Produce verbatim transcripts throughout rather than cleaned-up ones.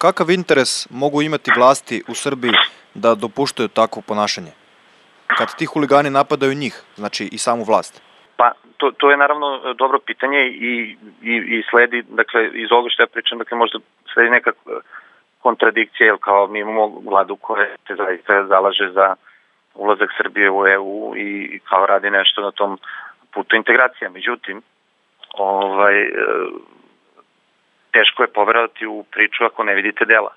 kakav interes mogu imati vlasti u Srbiji da dopuštaju takvo ponašanje? Kad ti huligani napadaju njih, znači i samu vlast? Pa, to, to je naravno dobro pitanje i, i, i sledi, dakle, iz ovoga što ja pričam, dakle, možda sledi neka kontradikcija, jer kao mi imamo vladu koja se zaista zalaže za ulazak Srbije u E U i kao radi nešto na tom putu integracija. Međutim, ovaj, teško je poverovati u priču ako ne vidite dela.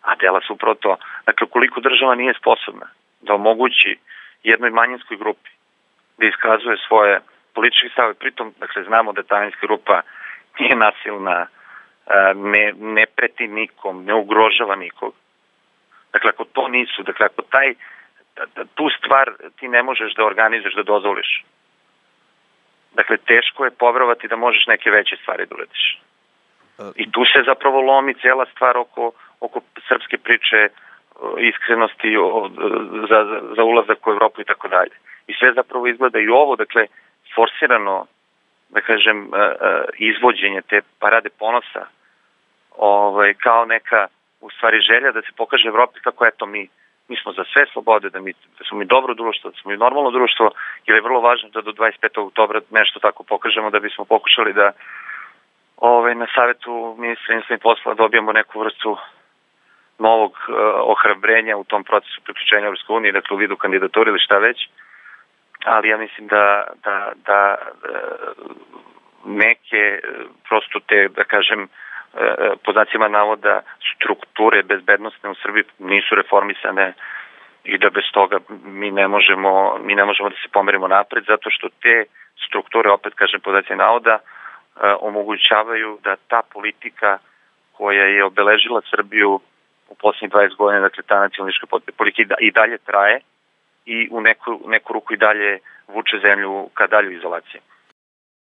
A dela su upravo to. Dakle, koliko država nije sposobna da omogući jednoj manjinskoj grupi da iskazuje svoje političke stave, pritom, dakle, znamo da ta manjinska grupa nije nasilna, ne, ne preti nikom, ne ugrožava nikog. Dakle, ako to nisu, dakle, ako taj, tu stvar ti ne možeš da organizuješ, da dozvoliš. Dakle, teško je poverovati da možeš neke veće stvari da uradiš. I tu se zapravo lomi cijela stvar oko, oko srpske priče, iskrenosti za, za ulazak u Evropu i tako dalje. I sve zapravo izgleda i ovo, dakle, forsirano, da kažem, izvođenje te parade ponosa, ovaj, kao neka, u stvari, želja da se pokaže Evropi kako, eto, mi, mi smo za sve slobode, da, mi, da smo mi dobro društvo, da smo mi normalno društvo, jer je vrlo važno da do dvadeset petog oktobra nešto tako pokažemo, da bismo pokušali da ovaj, na savjetu ministra inostranih poslova dobijemo neku vrstu novog uh, ohrabrenja u tom procesu priključenja Evropskoj uniji, dakle u vidu kandidature ili šta već, ali ja mislim da, da, da neke prosto te, da kažem, pod znacima navoda strukture bezbednostne u Srbiji nisu reformisane i da bez toga mi ne možemo, mi ne možemo da se pomerimo napred, zato što te strukture, opet kažem pod znacima navoda, omogućavaju da ta politika koja je obeležila Srbiju u posljednjih dvadeset godina, dakle ta nacionalistička politika i dalje traje i u neku, neku ruku i dalje vuče zemlju ka dalju izolaciji.